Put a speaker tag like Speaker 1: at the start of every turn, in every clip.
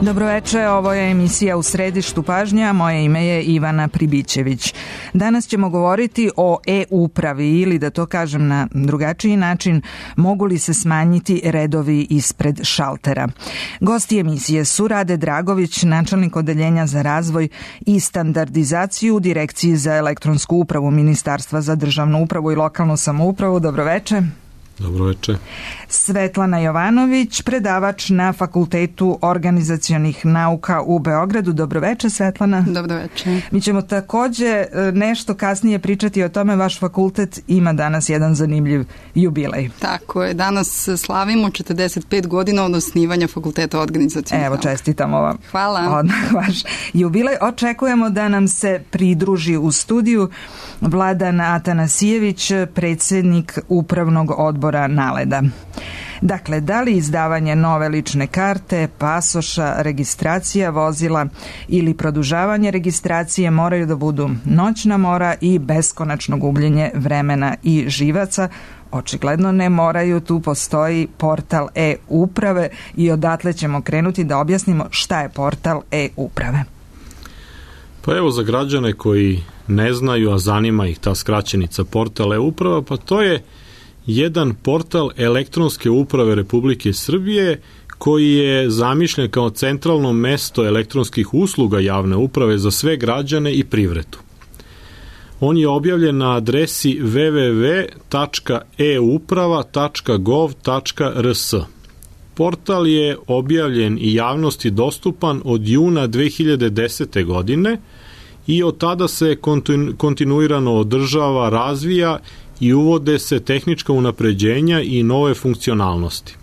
Speaker 1: Dobroveče, ovo je emisija U središtu pažnje, a moje ime je Ivana Pribićević. Danas ćemo govoriti o e-upravi ili, da to kažem na drugačiji način, mogu li se smanjiti redovi ispred šaltera. Gosti emisije su Rade Dragović, načelnik odeljenja za razvoj i standardizaciju u Direkciji za elektronsku upravu Ministarstva za državnu upravu i lokalnu samoupravu. Dobroveče.
Speaker 2: Dobroveče.
Speaker 1: Svetlana Jovanović, predavač na Fakultetu organizacionih nauka u Beogradu. Dobroveče, Svetlana.
Speaker 3: Dobroveče.
Speaker 1: Mi ćemo takođe nešto kasnije pričati o tome. Vaš fakultet ima danas jedan zanimljiv jubilej.
Speaker 3: Tako je. Danas slavimo 45 godina od osnivanja Fakulteta organizacionih nauka.
Speaker 1: Evo, čestitamo vam.
Speaker 3: Hvala.
Speaker 1: Odmah vaš jubilej. Očekujemo da nam se pridruži u studiju Vladan Atanasijević, predsjednik Upravnog odbora NALED-a. Dakle, da li izdavanje nove lične karte, pasoša, registracija vozila ili produžavanje registracije moraju da budu noćna mora i beskonačno gubljenje vremena i živaca? Očigledno ne moraju, tu postoji portal e-uprave i odatle ćemo krenuti da objasnimo šta je portal e-uprave.
Speaker 2: Pa evo, za građane koji ne znaju, a zanima ih ta skraćenica portal e-uprava, pa to je jedan portal elektronske uprave Republike Srbije koji je zamišljen kao centralno mesto elektronskih usluga javne uprave za sve građane i privredu. On je objavljen na adresi www.euprava.gov.rs. Portal je objavljen i javnosti dostupan od juna 2010. godine i od tada se kontinuirano održava, razvija i uvode se tehnička unapređenja i nove funkcionalnosti.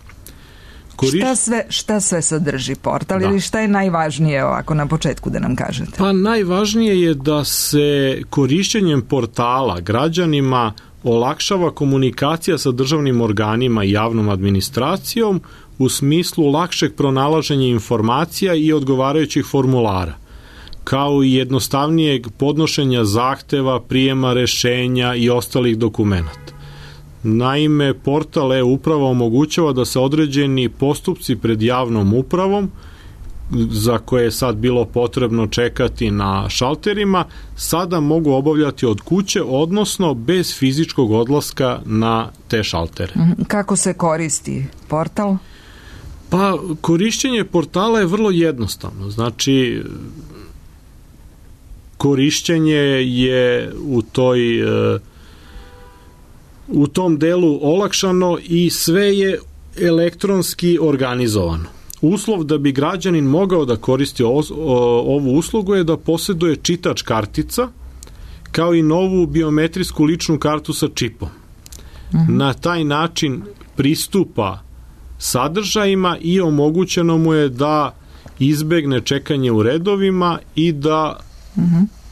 Speaker 1: Šta sve sadrži portal ili šta je najvažnije ovako na početku da nam kažete?
Speaker 2: Pa najvažnije je da se korišćenjem portala građanima olakšava komunikacija sa državnim organima i javnom administracijom u smislu lakšeg pronalaženja informacija i odgovarajućih formulara, kao i jednostavnijeg podnošenja zahteva, prijema rešenja i ostalih dokumenata. Naime, portal e-uprava omogućava da se određeni postupci pred javnom upravom, za koje je sad bilo potrebno čekati na šalterima, sada mogu obavljati od kuće, odnosno bez fizičkog odlaska na te šaltere.
Speaker 1: Kako se koristi portal?
Speaker 2: Pa, korišćenje portala je vrlo jednostavno. Znači, korišćenje je u tom delu olakšano i sve je elektronski organizovano. Uslov da bi građanin mogao da koristi ovu uslugu je da posjeduje čitač kartica, kao i novu biometrijsku ličnu kartu sa čipom. Na taj način pristupa sadržajima i omogućeno mu je da izbegne čekanje u redovima i da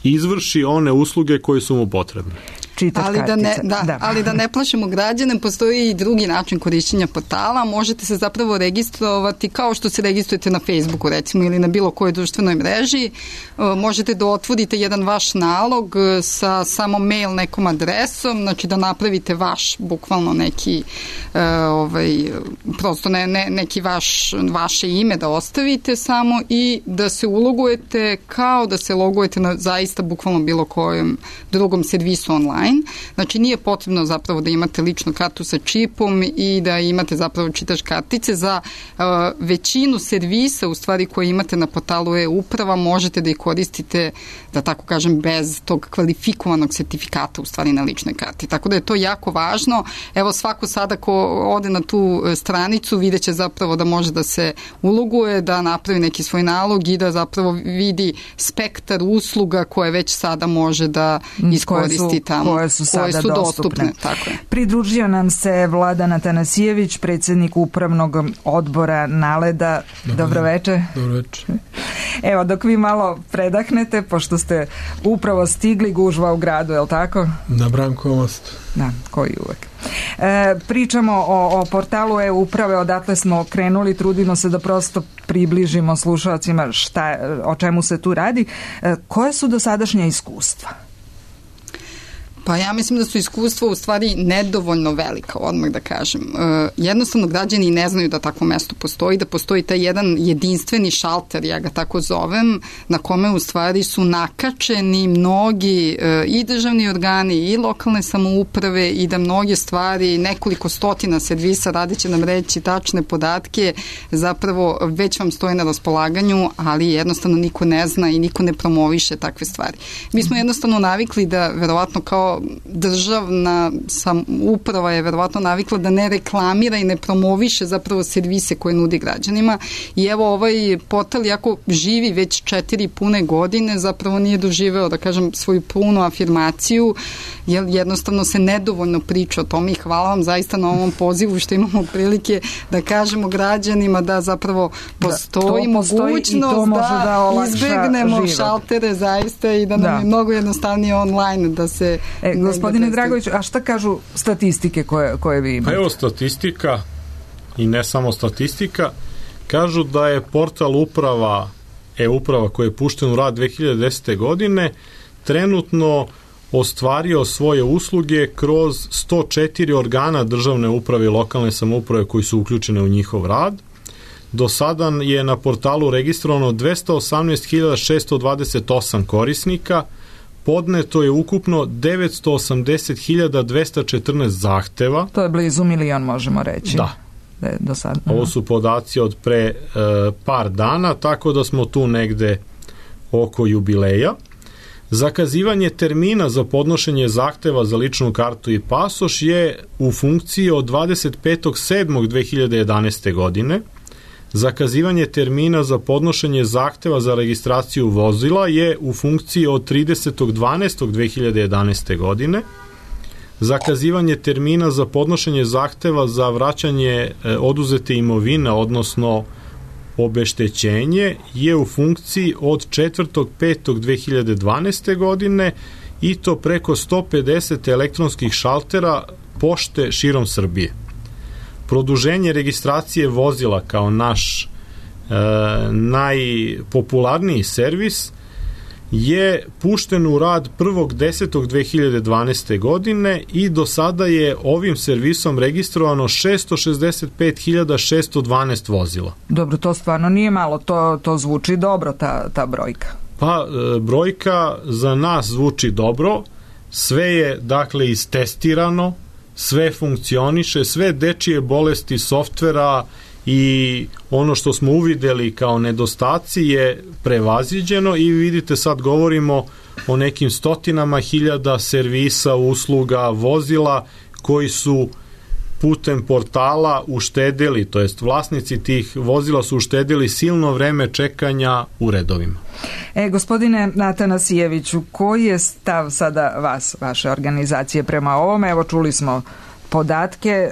Speaker 2: izvrši one usluge koje su mu potrebne.
Speaker 3: Ali da ne plašimo građane, postoji i drugi način korišćenja portala. Možete se zapravo registrovati kao što se registrujete na Facebooku, recimo, ili na bilo kojoj društvenoj mreži. Možete da otvorite jedan vaš nalog sa samo mail nekom adresom, znači da napravite vaš, bukvalno neki prosto neki vaše ime da ostavite samo i da se ulogujete kao da se logujete na zaista bukvalno bilo kojem drugom servisu online. Znači nije potrebno zapravo da imate ličnu kartu sa čipom i da imate zapravo čitač kartice. Za većinu servisa u stvari koje imate na portalu e-uprava možete da ih koristite, da tako kažem, bez tog kvalifikovanog sertifikata u stvari na ličnoj karti. Tako da je to jako važno. Evo, svako sada ko ode na tu stranicu vidjet će zapravo da može da se uloguje, da napravi neki svoj nalog i da zapravo vidi spektar usluga koje već sada može da iskoristi tamo.
Speaker 1: Koje su sada dostupne.
Speaker 3: Tako je.
Speaker 1: Pridružio nam se Vladan Atanasijević, predsjednik Upravnog odbora NALED-a. Dobroveče.
Speaker 4: Dobroveče.
Speaker 1: Evo, dok vi malo predahnete, pošto ste upravo stigli, gužva u gradu, je li tako?
Speaker 4: Na Brankovom mostu.
Speaker 1: Da, koji uvek. Pričamo o portalu e-uprave, odatle smo krenuli, trudimo se da prosto približimo slušalcima o čemu se tu radi. Koje su dosadašnja iskustva?
Speaker 3: Pa ja mislim da su iskustva u stvari nedovoljno velika, odmah da kažem. Jednostavno građani ne znaju da takvo mesto postoji, da postoji taj jedan jedinstveni šalter, ja ga tako zovem, na kome u stvari su nakačeni mnogi i državni organi i lokalne samouprave i da mnoge stvari, nekoliko stotina servisa, Rade će nam reći tačne podatke, zapravo već vam stoje na raspolaganju, ali jednostavno niko ne zna i niko ne promoviše takve stvari. Mi smo jednostavno navikli da verovatno kao državna uprava je verovatno navikla da ne reklamira i ne promoviše zapravo servise koje nudi građanima i evo ovaj portal jako živi već 4 pune godine, zapravo nije doživeo, da kažem, svoju punu afirmaciju, jer jednostavno se nedovoljno priča o tome i hvala vam zaista na ovom pozivu što imamo prilike da kažemo građanima da zapravo postoji mogućnost da izbegnemo šaltere zaista i da nam je mnogo jednostavnije online da se...
Speaker 1: Gospodine Dragović, a šta kažu statistike koje vi imate?
Speaker 2: Pa evo statistika i ne samo statistika, kažu da je portal uprava, e-uprava koji je pušten u rad 2010. godine, trenutno ostvario svoje usluge kroz 104 organa državne uprave i lokalne samouprave koji su uključene u njihov rad. Do sada je na portalu registrovano 218.628 korisnika, podneto je ukupno 980.214 zahteva.
Speaker 1: To je blizu 1 milion, možemo reći.
Speaker 2: Da.
Speaker 1: Do sad.
Speaker 2: Ovo su podaci od pre par dana, tako da smo tu negde oko jubileja. Zakazivanje termina za podnošenje zahteva za ličnu kartu i pasoš je u funkciji od 25.7.2011. godine. Zakazivanje termina za podnošenje zahteva za registraciju vozila je u funkciji od 30.12.2011. godine. Zakazivanje termina za podnošenje zahteva za vraćanje oduzete imovine, odnosno obeštećenje, je u funkciji od 4.5.2012. godine i to preko 150 elektronskih šaltera pošte širom Srbije. Produženje registracije vozila kao naš najpopularniji servis je pušten u rad 1.10.2012. godine i do sada je ovim servisom registrovano 665.612 vozila.
Speaker 1: Dobro, to stvarno nije malo, to zvuči dobro, ta brojka.
Speaker 2: Pa, brojka za nas zvuči dobro, sve je, dakle, istestirano, sve funkcioniše, sve dečije bolesti softvera i ono što smo uvideli kao nedostaci je prevaziđeno i vidite sad govorimo o nekim stotinama hiljada servisa, usluga, vozila koji su putem portala uštedili, to jest vlasnici tih vozila su uštedili silno vreme čekanja u redovima.
Speaker 1: Gospodine Atanasijeviću, koji je stav sada vaše organizacije prema ovome? Evo, čuli smo podatke,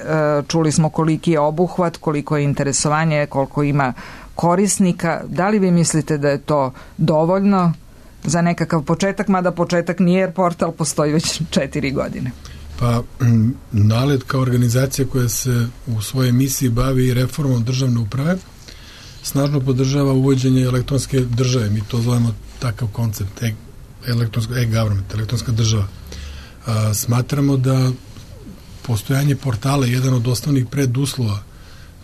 Speaker 1: čuli smo koliki je obuhvat, koliko je interesovanje, koliko ima korisnika. Da li vi mislite da je to dovoljno za nekakav početak, mada početak nije jer portal postoji već 4 godine?
Speaker 4: Pa, NALED kao organizacija koja se u svojoj emisiji bavi reformom državne uprave snažno podržava uvođenje elektronske države. Mi to zovemo takav koncept, e-government, elektronska država. Smatramo da postojanje portala je jedan od osnovnih preduslova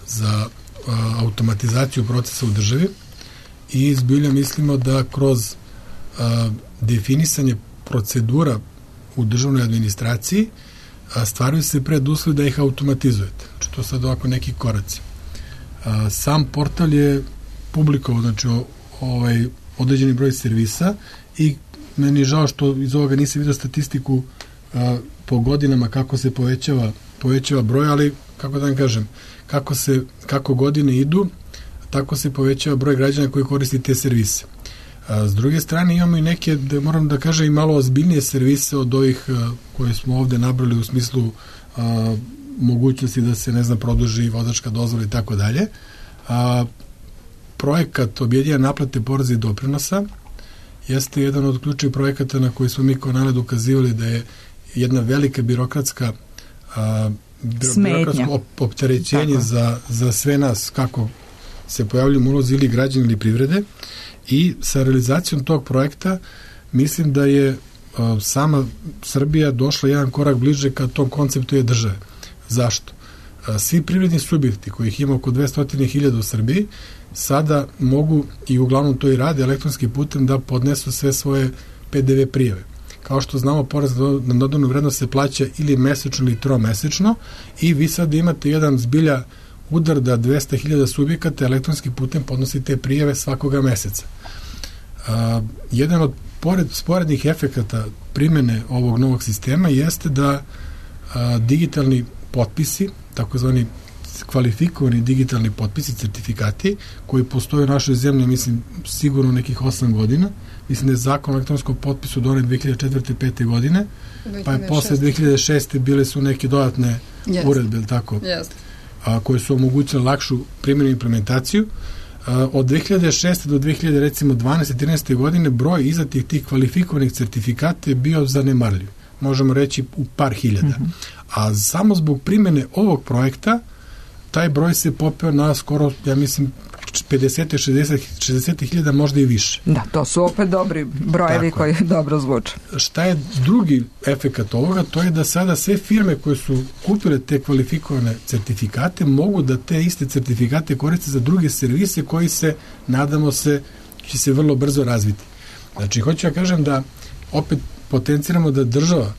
Speaker 4: za automatizaciju procesa u državi i zbilja mislimo da kroz definisanje procedura u državnoj administraciji stvaraju se preduslovi da ih automatizujete. Znači, to sad ovako neki koraci. Sam portal je publikovao, znači, određeni broj servisa i meni je žao što iz ovoga nisam vidio statistiku po godinama kako se povećava broj, ali kako da vam kažem, kako godine idu, tako se povećava broj građana koji koristi te servise. S druge strane imamo i neke, da moram da kažem, i malo ozbiljnije servise od ovih koje smo ovde nabrali u smislu mogućnosti da se, ne znam, produži vozačka dozvola i tako dalje. Projekat objedinjene naplate poreza i doprinosa jeste jedan od ključnih projekata na koji smo mi kao NALED ukazivali da je jedna velika birokratsko opterećenje za sve nas, kako se pojavljaju ulozi ili građani ili privrede, i sa realizacijom tog projekta mislim da je sama Srbija došla jedan korak bliže ka tom konceptu je države. Zašto? Svi privredni subjekti kojih ima oko 200.000 u Srbiji sada mogu i uglavnom to i rade elektronskim putem da podnesu sve svoje PDV prijave. Kao što znamo, porez na dodanu vrednost se plaća ili mesečno ili tromesečno i vi sad imate jedan zbilja udar da 200.000 subjekata elektronskim putem podnosi te prijave svakoga meseca. Jedan od sporednih efekata primene ovog novog sistema jeste da digitalni potpisi, takozvani kvalifikovani digitalni potpisi, certifikati, koji postoje u našoj zemlji, mislim, sigurno nekih 8 godina. Mislim da je zakon o elektronskom potpisu donet 2004. 5. godine, pa je posle 2006. bile su neke dodatne uredbe, tako, koje su omogućile lakšu primjenu i implementaciju. Od 2006. do 2012-13. godine broj izdatih tih kvalifikovanih certifikata je bio zanemarljiv. Možemo reći u par hiljada. A samo zbog primjene ovog projekta taj broj se popeo na skoro, ja mislim, 50-60 možda i više.
Speaker 1: Da, to su opet dobri brojevi koji dobro zvuče.
Speaker 4: Šta je drugi efekat ovoga? To je da sada sve firme koje su kupile te kvalifikovane certifikate mogu da te iste certifikate koriste za druge servise koji se, nadamo se, će se vrlo brzo razviti. Znači, hoću ja kažem da opet potenciramo da država,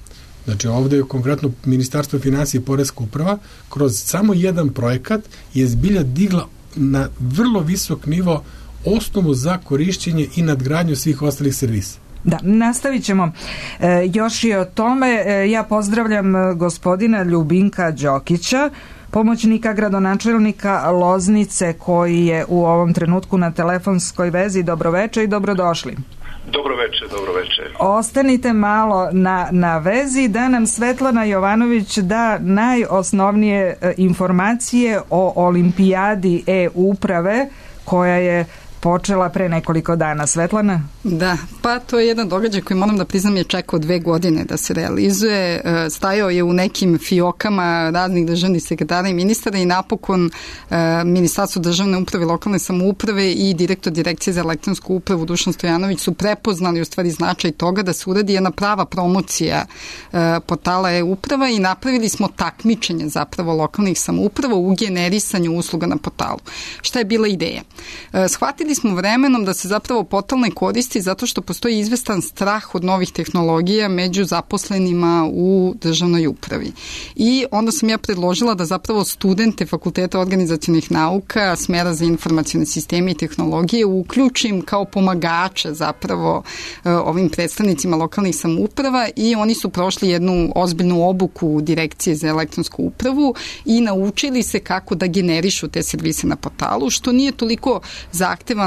Speaker 4: znači ovde je konkretno Ministarstvo finansija i Poreska uprava, kroz samo jedan projekat je zbilja digla na vrlo visok nivo osnovu za korišćenje i nadgradnju svih ostalih servisa.
Speaker 1: Da, nastavit ćemo još i o tome. Ja pozdravljam gospodina Ljubinka Đokića, pomoćnika gradonačelnika Loznice, koji je u ovom trenutku na telefonskoj vezi. Dobroveče i dobrodošli.
Speaker 5: Dobroveče.
Speaker 1: Ostanite malo na vezi da nam Svetlana Jovanović da najosnovnije informacije o olimpijadi e-uprave koja je počela pre nekoliko dana. Svetlana?
Speaker 3: Da, pa to je jedan događaj koji moram da priznam je čekao 2 godine da se realizuje. Stajao je u nekim fiokama raznih državnih sekretara i ministara i napokon Ministarstvo državne uprave i lokalne samouprave i direktor Direkcije za elektronsku upravu Dušan Stojanović su prepoznali u stvari značaj toga da se uradi jedna prava promocija portala e-uprava i napravili smo takmičenje zapravo lokalnih samouprava u generisanju usluga na portalu. Šta je bila ideja? Shvatili smo vremenom da se zapravo portal ne koristi zato što postoji izvestan strah od novih tehnologija među zaposlenima u državnoj upravi. I onda sam ja predložila da zapravo studente Fakulteta organizacionih nauka, smera za informacione sisteme i tehnologije uključim kao pomagače zapravo ovim predstavnicima lokalnih samouprava i oni su prošli jednu ozbiljnu obuku Direkcije za elektronsku upravu i naučili se kako da generišu te servise na portalu, što nije toliko zahtevan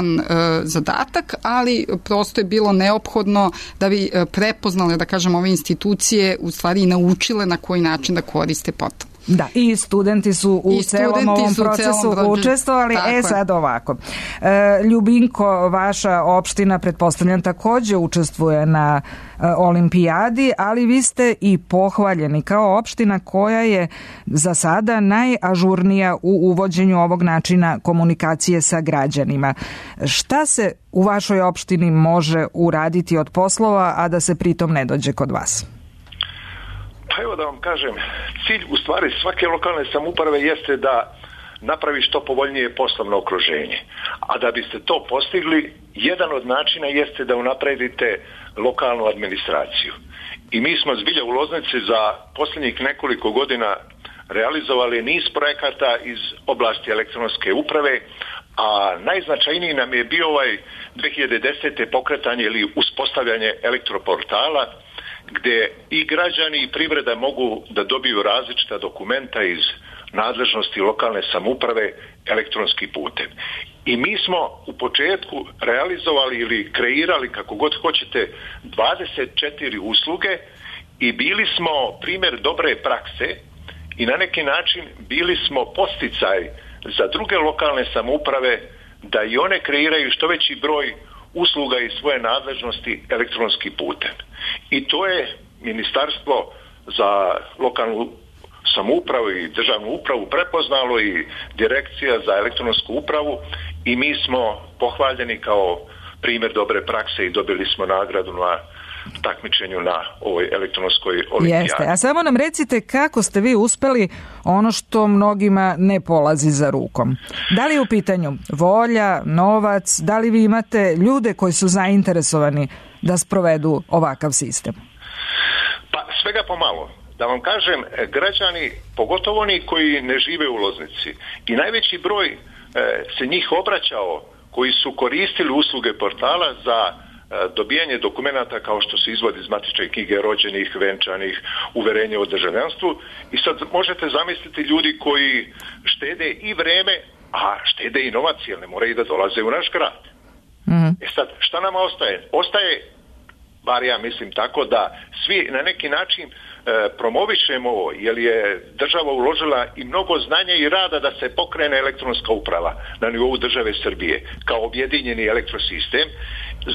Speaker 3: zadatak, ali prosto je bilo neophodno da bi prepoznali, da kažem, ove institucije u stvari i naučile na koji način da koriste portal.
Speaker 1: Da, i studenti su u celom ovom procesu učestvovali. Sad ovako. Ljubinko, vaša opština, pretpostavljam, takođe učestvuje na olimpijadi, ali vi ste i pohvaljeni kao opština koja je za sada najažurnija u uvođenju ovog načina komunikacije sa građanima. Šta se u vašoj opštini može uraditi od poslova, a da se pritom ne dođe kod vas?
Speaker 5: Pa evo da vam kažem, cilj u stvari svake lokalne samouprave jeste da napravi što povoljnije poslovno okruženje. A da biste to postigli, jedan od načina jeste da unapredite lokalnu administraciju. I mi smo zbilja u Loznici za posljednjih nekoliko godina realizovali niz projekata iz oblasti elektronske uprave, a najznačajniji nam je bio 2010. pokretanje ili uspostavljanje elektroportala, gdje i građani i privreda mogu da dobiju različita dokumenta iz nadležnosti lokalne samouprave elektronskim putem. I mi smo u početku realizovali ili kreirali, kako god hoćete, 24 usluge i bili smo primjer dobre prakse i na neki način bili smo podsticaj za druge lokalne samouprave da i one kreiraju što veći broj usluga iz svoje nadležnosti elektronskim putem. I to je Ministarstvo za lokalnu samoupravu i državnu upravu prepoznalo i Direkcija za elektronsku upravu i mi smo pohvaljeni kao primjer dobre prakse i dobili smo nagradu na takmičenju na ovoj elektronskoj olimpijadi.
Speaker 1: Jeste, a samo nam recite kako ste vi uspeli ono što mnogima ne polazi za rukom. Da li je u pitanju volja, novac, da li vi imate ljude koji su zainteresovani da sprovedu ovakav sistem?
Speaker 5: Pa svega pomalo. Da vam kažem, građani, pogotovo oni koji ne žive u Loznici, i najveći broj se njih obraćao koji su koristili usluge portala za dobijanje dokumenata kao što se izvodi iz matične knjige rođenih, venčanih, uverenje o državljanstvu. I sad možete zamisliti ljudi koji štede i vreme, a štede i novac, jer ne moraju da dolaze u naš grad. Sad, šta nama ostaje? Ostaje, bar ja mislim tako, da svi na neki način promovišemo ovo, jer je država uložila i mnogo znanja i rada da se pokrene elektronska uprava na nivou države Srbije kao objedinjeni elektrosistem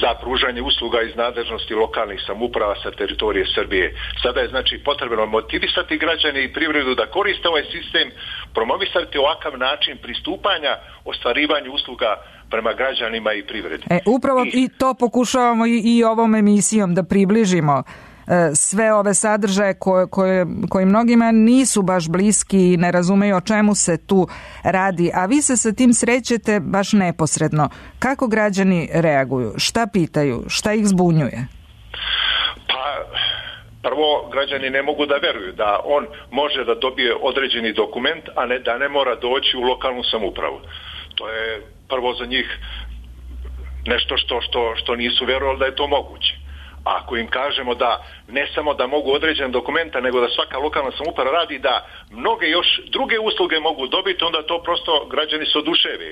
Speaker 5: za pružanje usluga iz nadležnosti lokalnih samouprava sa teritorije Srbije. Sada je znači potrebno motivisati građane i privredu da koriste ovaj sistem, promovisati ovakav način pristupanja ostvarivanju usluga prema građanima i privredi.
Speaker 1: Upravo i to pokušavamo i ovom emisijom da približimo sve ove sadržaje koji mnogima nisu baš bliski i ne razumeju o čemu se tu radi, a vi se sa tim srećete baš neposredno. Kako građani reaguju? Šta pitaju? Šta ih zbunjuje?
Speaker 5: Pa, prvo, građani ne mogu da veruju da on može da dobije određeni dokument, a ne da ne mora doći u lokalnu samoupravu. To je prvo za njih nešto što nisu verovali da je to moguće. Ako im kažemo da ne samo da mogu određen dokumenta, nego da svaka lokalna samouprava radi da mnoge još druge usluge mogu dobiti, onda to prosto građani se oduševe.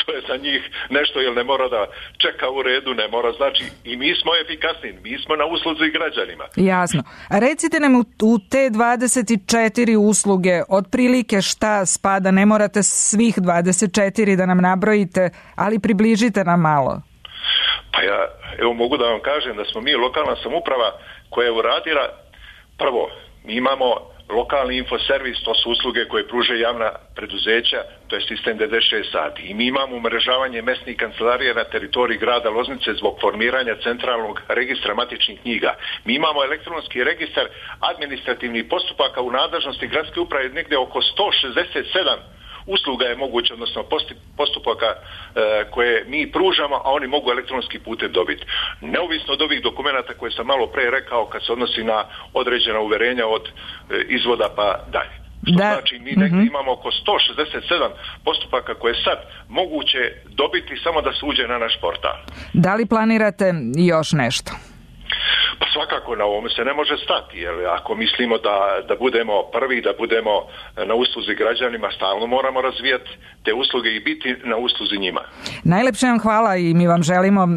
Speaker 5: To je za njih nešto, jer ne mora da čeka u redu, ne mora, znači i mi smo efikasni, mi smo na usluzi građanima.
Speaker 1: Jasno. A recite nam u te 24 usluge otprilike šta spada, ne morate svih 24 da nam nabrojite, ali približite nam malo.
Speaker 5: Pa ja mogu da vam kažem da smo mi lokalna samouprava koja je uradila, prvo, mi imamo lokalni infoservis, to su usluge koje pruže javna preduzeća, to je sistem 96 sati. I mi imamo umrežavanje mesnih kancelarija na teritoriji grada Loznice zbog formiranja centralnog registra matičnih knjiga. Mi imamo elektronski registar administrativnih postupaka u nadležnosti gradske uprave, negde oko 167 usluga je moguće, odnosno postupaka koje mi pružamo, a oni mogu elektronski putem dobiti. Neovisno od ovih dokumenata koje sam malo pre rekao kad se odnosi na određena uverenja od izvoda pa dalje. Što znači mi negdje imamo oko 167 postupaka koje je sad moguće dobiti samo da se uđe na naš portal.
Speaker 1: Da li planirate još nešto?
Speaker 5: Pa svakako na ovome se ne može stati, jer ako mislimo da budemo prvi, da budemo na usluzi građanima, stalno moramo razvijati te usluge i biti na usluzi njima. Najlepše
Speaker 1: vam hvala i mi vam želimo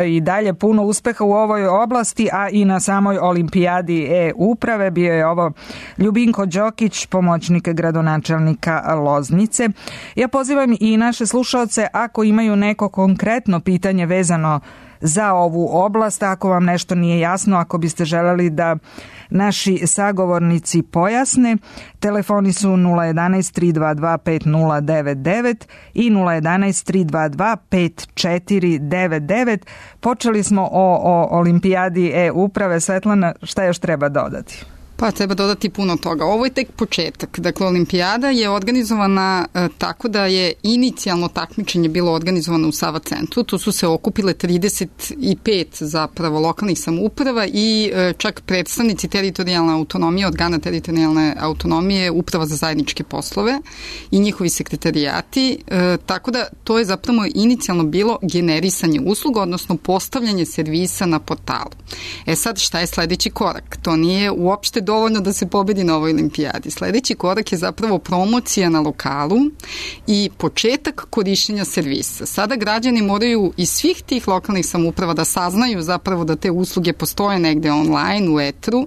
Speaker 1: i dalje puno uspeha u ovoj oblasti, a i na samoj olimpijadi e-uprave. Bio je ovo Ljubinko Đokić, pomoćnik gradonačelnika Loznice. Ja pozivam i naše slušaoce, ako imaju neko konkretno pitanje vezano za ovu oblast, ako vam nešto nije jasno, ako biste želeli da naši sagovornici pojasne, telefoni su 011 322 5099 i 011 322 5499. Počeli smo o olimpijadi e-uprave. Svetlana, šta još treba dodati?
Speaker 3: Pa treba dodati puno toga. Ovo je tek početak. Dakle, olimpijada je organizovana tako da je inicijalno takmičenje bilo organizovano u Sava centru. Tu su se okupile 35 zapravo lokalnih samouprava i čak predstavnici teritorijalne autonomije, organa teritorijalne autonomije, Uprava za zajedničke poslove i njihovi sekretarijati. Tako da to je zapravo inicijalno bilo generisanje usluga, odnosno postavljanje servisa na portalu. Sad šta je sledeći korak? To nije uopšte dovoljno da se pobedi na ovoj olimpijadi. Sledeći korak je zapravo promocija na lokalu i početak korišćenja servisa. Sada građani moraju iz svih tih lokalnih samouprava da saznaju zapravo da te usluge postoje negde online, u etru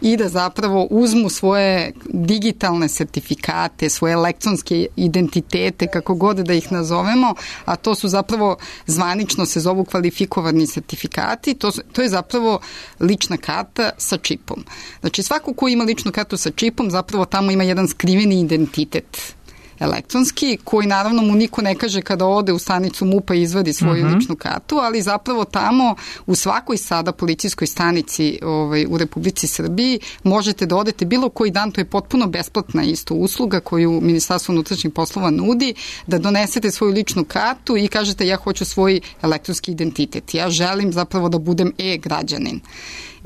Speaker 3: i da zapravo uzmu svoje digitalne sertifikate, svoje elektronske identitete, kako god da ih nazovemo, a to su zapravo zvanično se zovu kvalifikovani sertifikati. To je zapravo lična karta sa čipom. Znači svako ko ima ličnu kartu sa čipom zapravo tamo ima jedan skriveni identitet elektronski, koji naravno mu niko ne kaže kada ode u stanicu MUP-a i izvadi svoju ličnu kartu, ali zapravo tamo u svakoj sada policijskoj stanici u Republici Srbiji možete da odete bilo koji dan, to je potpuno besplatna isto usluga koju Ministarstvo unutrašnjih poslova nudi, da donesete svoju ličnu kartu i kažete ja hoću svoj elektronski identitet. Ja želim zapravo da budem e-građanin.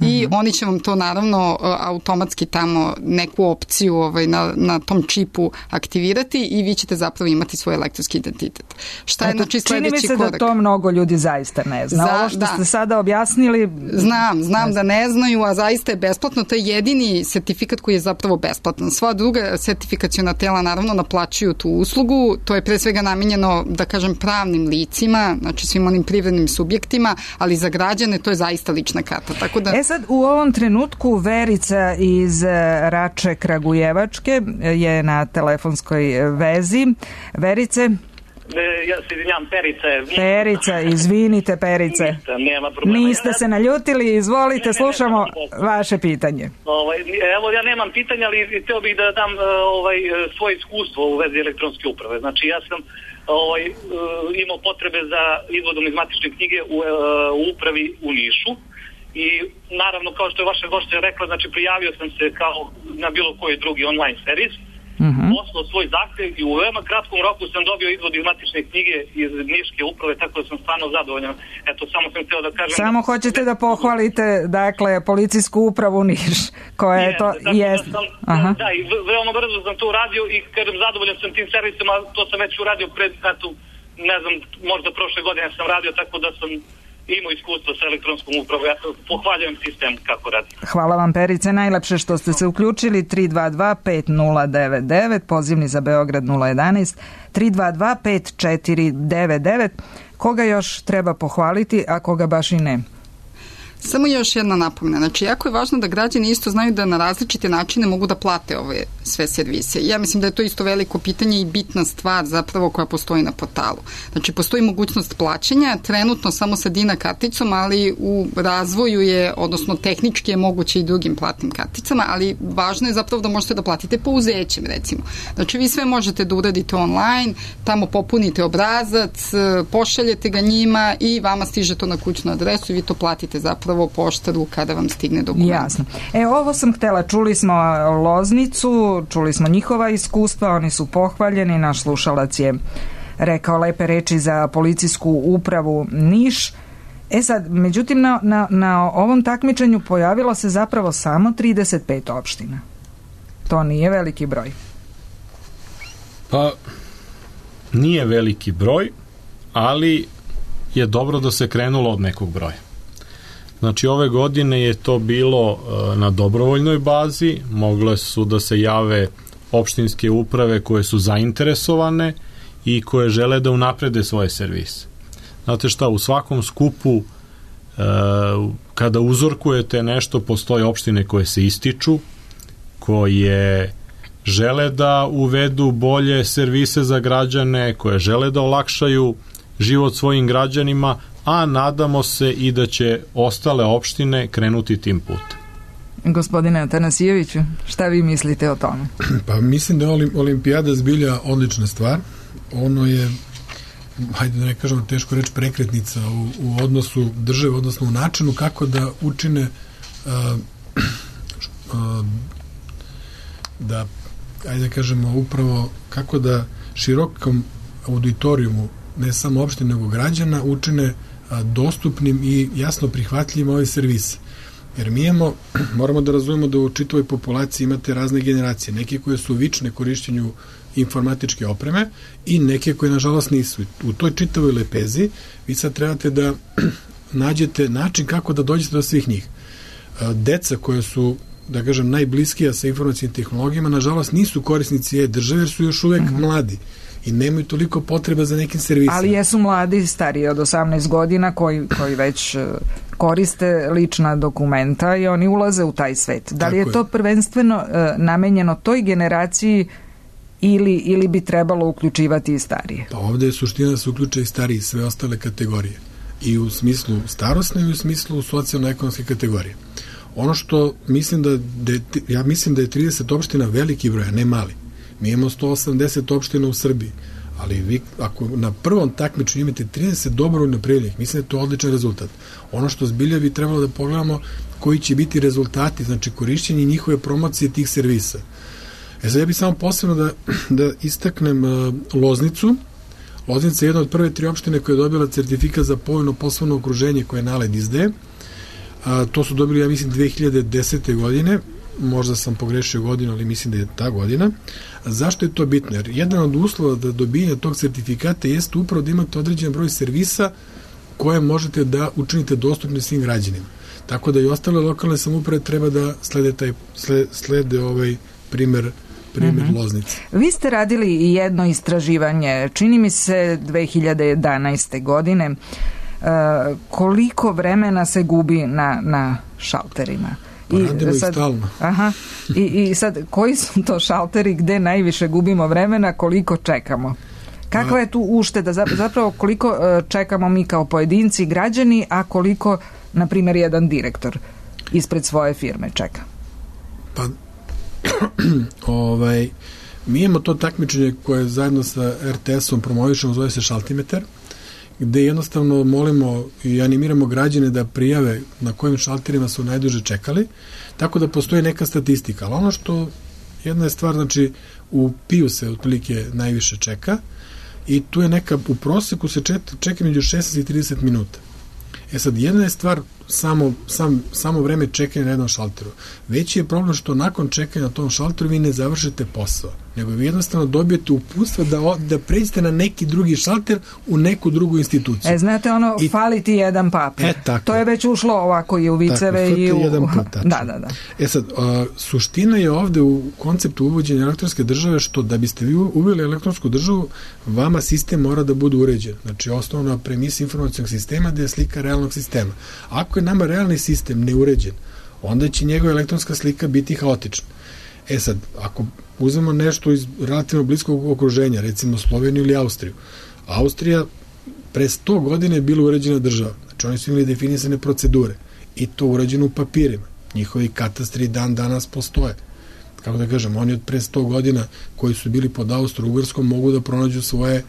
Speaker 3: I oni će vam to naravno automatski tamo neku opciju na tom čipu aktivirati i vi ćete zapravo imati svoj elektronski identitet. Šta je znači sledeći korak?
Speaker 1: Čini mi se da to mnogo ljudi zaista ne zna. Ovo što ste sada objasnili...
Speaker 3: Znam da ne znaju, a zaista je besplatno. To je jedini sertifikat koji je zapravo besplatan. Sva druga sertifikaciona tela naravno naplaćuju tu uslugu. To je pre svega namenjeno, da kažem, pravnim licima, znači svim onim privrednim subjektima, ali za građane to je zaista lična karta. Tako da...
Speaker 1: Sad u ovom trenutku Verica iz Rače Kragujevačke je na telefonskoj vezi. Verice?
Speaker 6: Ja se izvinjam,
Speaker 1: Perica, izvinite Perice.
Speaker 6: Nema problema.
Speaker 1: Niste se naljutili, izvolite, slušamo vaše pitanje.
Speaker 6: Evo, ja nemam pitanja, ali hteo bih da dam svoje iskustvo u vezi elektronske uprave. Znači, ja sam imao potrebe za izvodom iz matične knjige u upravi u Nišu. I naravno, kao što je vaša gošća rekla, znači prijavio sam se kao na bilo koji drugi online servis, poslao svoj zahtev i u veoma kratkom roku sam dobio izvod iz matične knjige iz Niške uprave, tako da sam stvarno zadovoljan. Eto, samo sam htio da kažem...
Speaker 1: Samo hoćete da pohvalite, dakle, policijsku upravu Niš, koja je to...
Speaker 6: Da, i veoma brzo sam to uradio i kažem, zadovoljan sam tim servisima, to sam već uradio pred, ne znam, možda prošle godine sam radio, tako da sam imao iskustvo sa elektronskom upravom. Ja pohvaljujem sistem kako radi.
Speaker 1: Hvala vam, Perice, najlepše što ste se uključili. 322-5099, pozivni za Beograd 011, 322-5499. Koga još treba pohvaliti, a koga baš i ne?
Speaker 3: Samo još jedna napomena. Znači, jako je važno da građani isto znaju da na različite načine mogu da plate ove sve servise. Ja mislim da je to isto veliko pitanje i bitna stvar zapravo koja postoji na portalu. Znači, postoji mogućnost plaćanja, trenutno samo sa Dina karticom, ali u razvoju je, odnosno tehnički je moguće i drugim platnim karticama, ali važno je zapravo da možete da platite pouzećem, recimo. Znači, vi sve možete da uradite online, tamo popunite obrazac, pošaljete ga njima i vama stiže to na kućnu adresu i vi to platite zapravo poštaru kada vam stigne dokument.
Speaker 1: Jasno. Ovo sam htela, čuli smo Loznicu, čuli smo njihova iskustva, oni su pohvaljeni, naš slušalac je rekao lepe reči za policijsku upravu Niš. Sad, međutim, na ovom takmičenju pojavilo se zapravo samo 35 opština. To nije veliki broj.
Speaker 2: Pa, nije veliki broj, ali je dobro da se krenulo od nekog broja. Znači, ove godine je to bilo na dobrovoljnoj bazi, mogle su da se jave opštinske uprave koje su zainteresovane i koje žele da unaprede svoje servise. Znate šta, u svakom skupu, kada uzorkujete nešto, postoje opštine koje se ističu, koje žele da uvedu bolje servise za građane, koje žele da olakšaju život svojim građanima, a nadamo se i da će ostale opštine krenuti tim putem.
Speaker 1: Gospodine Atanasijeviću, šta vi mislite o tome?
Speaker 4: Pa mislim da je olimpijada zbilja odlična stvar. Ono je, hajde da ne kažemo teško reći, prekretnica u odnosu države, odnosno u načinu kako da učine da, hajde da kažemo, upravo kako da širokom auditorijumu, ne samo opštine, nego građana, učine dostupnim i jasno prihvatljivim ove servise. Jer mi moramo da razumemo da u čitavoj populaciji imate razne generacije, neke koje su vične korišćenju informatičke opreme i neke koje nažalost nisu. U toj čitavoj lepezi vi sad trebate da nađete način kako da dođete do svih njih. Deca koje su, da kažem, najbliskija sa informacijnim tehnologijama, nažalost nisu korisnici e-države jer su još uvek mladi i nemaju toliko potreba za nekim servisima.
Speaker 1: Ali jesu mladi, stariji od 18 godina koji već koriste lična dokumenta i oni ulaze u taj svet. Da li je to prvenstveno namenjeno toj generaciji ili bi trebalo uključivati i starije? Pa
Speaker 4: ovde je suština da se uključe i stariji, sve ostale kategorije. I u smislu starosne i u smislu socijalno-ekonomske kategorije. Ono što mislim ja mislim da je 30 opština veliki broj, a ne mali. Mi imamo 180 opština u Srbiji, ali vi ako na prvom takmičenju imate 30 dobrovoljno prijavljenih, mislim da je to odličan rezultat. Ono što zbilja bi trebalo da pogledamo koji će biti rezultati, znači korišćenje njihove promocije tih servisa. Sad ja bih samo posebno da istaknem Loznicu. Loznica je jedna od prve 3 opštine koja je dobila certifikat za povoljno poslovno okruženje koje NALED izdaje. To su dobili, ja mislim, 2010. godine, možda sam pogrešio godinu, ali mislim da je ta godina. Zašto je to bitno? Jer jedan od uslova da dobijanje tog certifikata jeste upravo da imate određen broj servisa koje možete da učinite dostupni svim građanima. Tako da i ostale lokalne samouprave treba da slede ovaj primer Loznice.
Speaker 1: Vi ste radili i jedno istraživanje, čini mi se 2011. godine. Koliko vremena se gubi na šalterima?
Speaker 4: Radimo i stalno.
Speaker 1: Aha. I sad, koji su to šalteri gde najviše gubimo vremena, koliko čekamo? Kakva je tu ušteda? Zapravo koliko čekamo mi kao pojedinci, građani, a koliko, na primjer, jedan direktor ispred svoje firme čeka?
Speaker 4: Pa mi imamo to takmičenje koje zajedno sa RTS-om promovišemo, zove se Šaltimetar, gde jednostavno molimo i animiramo građane da prijave na kojim šalterima su najduže čekali, tako da postoji neka statistika. Ali ono što, jedna je stvar, znači u PIU se otprilike najviše čeka i tu je neka, u proseku se čeka među 16 i 30 minuta. Sad, jedna je stvar samo vreme čekanja na jednom šalteru. Veći je problem što nakon čekanja na tom šalteru vi ne završite posao, nego vi jednostavno dobijete uputstva da pređete na neki drugi šalter u neku drugu instituciju.
Speaker 1: Znate fali ti jedan papir. To je već ušlo ovako i u viceve i u...
Speaker 4: jedan put,
Speaker 1: da.
Speaker 4: Sad, suština je ovde u konceptu uvođenja elektronske države što da biste vi uveli elektronsku državu, vama sistem mora da bude uređen. Znači, osnovna premisa informacionog sistema da je slika realnog sistema. Ako je nama realni sistem neuređen, onda će njegova elektronska slika biti haotična. Sad, ako uzmemo nešto iz relativno bliskog okruženja, recimo Sloveniju ili Austriju. Austrija pre 100 godina je bila uređena država. Znači, oni su imali definisane procedure i to uređeno u papirima. Njihovi katastri dan danas postoje. Kako da kažem, oni od pre 100 godina koji su bili pod Austro-Ugarskom mogu da pronađu svoje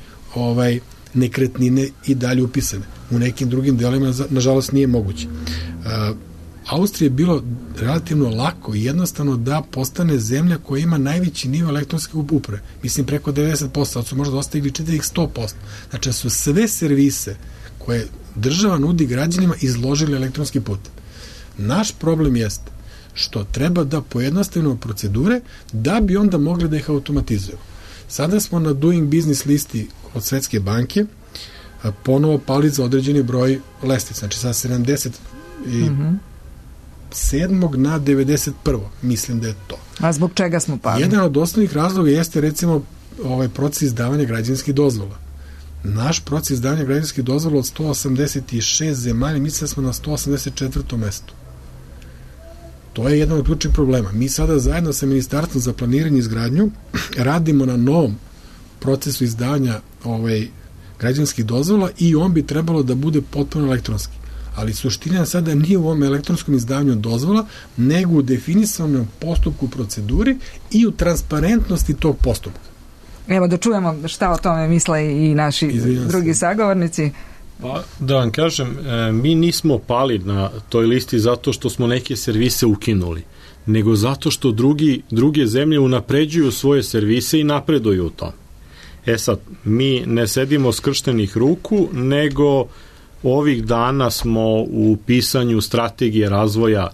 Speaker 4: nekretnine i dalje upisane. U nekim drugim delima, nažalost, nije moguće. Austrija je bilo relativno lako i jednostavno da postane zemlja koja ima najveći nivo elektronske uprave. Mislim, preko 90%, sad su možda dostigli 100%. Znači, su sve servise koje država nudi građanima izložili elektronski put. Naš problem jeste što treba da pojednostavimo procedure da bi onda mogli da ih automatizujemo. Sada smo na Doing Business listi od Svetske banke ponovo pali za određeni broj lestvica. Znači, sa 77. na 91. Mislim da je to.
Speaker 1: A zbog čega smo pali?
Speaker 4: Jedan od osnovnih razloga jeste, recimo, proces izdavanja građevinskih dozvola. Naš proces izdavanja građevinskih dozvola od 186 zemalja, mislim da smo na 184. mestu. To je jedan od ključnih problema. Mi sada zajedno sa Ministarstvom za planiranje i izgradnju radimo na novom procesu izdavanja građevinskih dozvola i on bi trebalo da bude potpuno elektronski. Ali suština sada nije u ovom elektronskom izdavanju dozvola, nego u definisanom postupku proceduri i u transparentnosti tog postupka.
Speaker 1: Evo da čujemo šta o tome misle i naši drugi sagovornici.
Speaker 2: Pa, da vam kažem, mi nismo pali na toj listi zato što smo neke servise ukinuli, nego zato što druge zemlje unapređuju svoje servise i napreduju u tom. Sad, mi ne sedimo skrštenih ruku, nego ovih dana smo u pisanju strategije razvoja